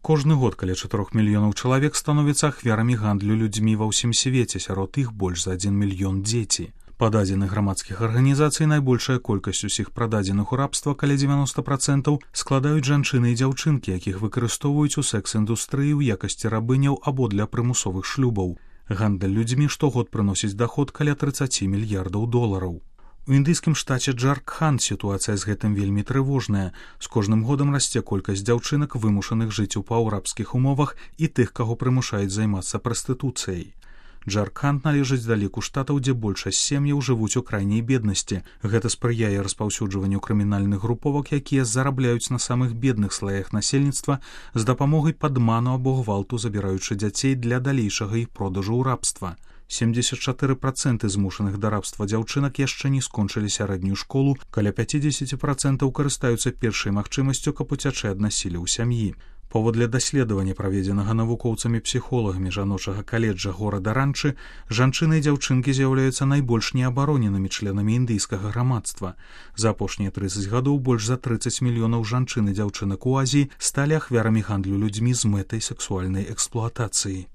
Кожны год каля 4 мільёнаў чалавек становяцца ахвярамі гандлю людзьмі ва ўсім свеце, сярод іх больш за 1 мільён дзеці. Па дадзеных грамадскіх арганізацый найбольшая колькасць усіх прададзеных у рабства, каля 90%, складаюць жанчыны і дзяўчынкі, якіх выкарыстоўваюць у секс-індустрыі ў якасці рабыняў або для прымусовых шлюбаў. Гандаль людзьмі штогод прыносіць даход каля 30 мільярдаў долараў. У індыйскім штаце Джаркханд сітуацыя з гэтым вельмі трывожная. З кожным годам расце колькасць дзяўчынак, вымушаных жыць у паўрабскіх умовах, і тых, каго прымушаюць займацца прастытуцыяй. Джаркханд належыць да ліку штатаў, дзе большасць сем'яў жывуць у крайняй беднасці. Гэта спрыяе распаўсюджванню крымінальных груповак, якія зарабляюць на самых бедных слаях насельніцтва з дапамогай падману або гвалту, забіраючы дзяцей для далейшага іх продажу ў рабства. 74% змушаных да рабства дзяўчынак яшчэ не скончылі сярэднюю школу, каля 50% карыстаюцца першай магчымасцю, каб уцячы ад насілля ў сям'і. Паводле даследавання, праведзенага навукоўцамі-псіхолагамі жаночага каледжа горада Ранчы, жанчыны і дзяўчынкі з'яўляюцца найбольш неабароненымі членамі індыйскага грамадства. За апошнія 30 гадоў больш за 30 мільёнаў жанчын і дзяўчынак у Азіі сталі ахвярамі гандлю людзьмі з мэтай сексуальнай эксплуатацыі.